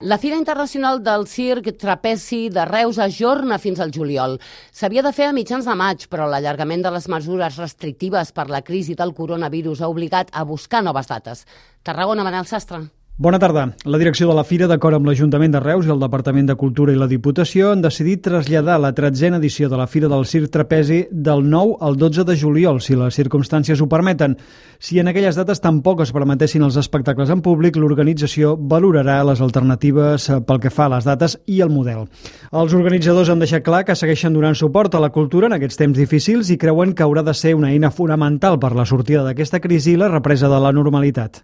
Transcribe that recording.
La Fira Internacional del Circ Trapezi de Reus ajorna fins al juliol. S'havia de fer a mitjans de maig, però l'allargament de les mesures restrictives per la crisi del coronavirus ha obligat a buscar noves dates. Tarragona, Manel Sastre. Bona tarda. La direcció de la Fira, d'acord amb l'Ajuntament de Reus i el Departament de Cultura i la Diputació, han decidit traslladar la 13a edició de la Fira del Circ Trapezi del 9 al 12 de juliol, si les circumstàncies ho permeten. Si en aquelles dates tampoc es permetessin els espectacles en públic, l'organització valorarà les alternatives pel que fa a les dates i el model. Els organitzadors han deixat clar que segueixen donant suport a la cultura en aquests temps difícils i creuen que haurà de ser una eina fonamental per la sortida d'aquesta crisi i la represa de la normalitat.